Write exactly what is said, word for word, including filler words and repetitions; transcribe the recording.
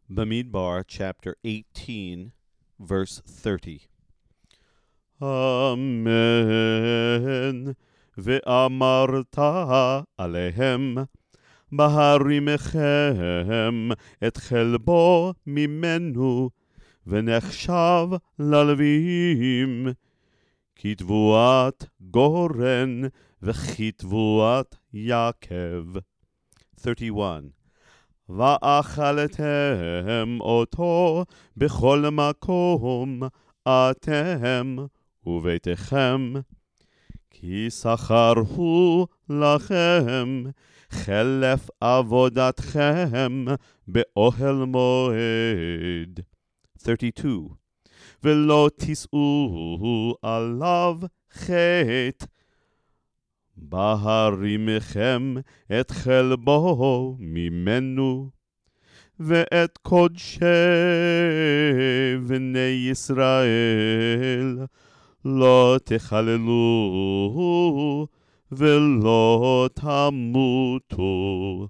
Bamidbar chapter eighteen, verse thirty. Amen. Ve'amarta alehem בהרימכם את חלבו ממנו, ונחשב ללווים, כתבואת גורן וכתבואת יקב. thirty-one. ואכלתם אותו בכל מקום, אתם וביתכם, כי שכר הוא לכם, חלף עבודתכם באוהל מועד. thirty-two. ולא תישאו עליו חטא, בהרימכם את חלבו ממנו, ואת קודשי בני ישראל לא תחללו ולא תמותו.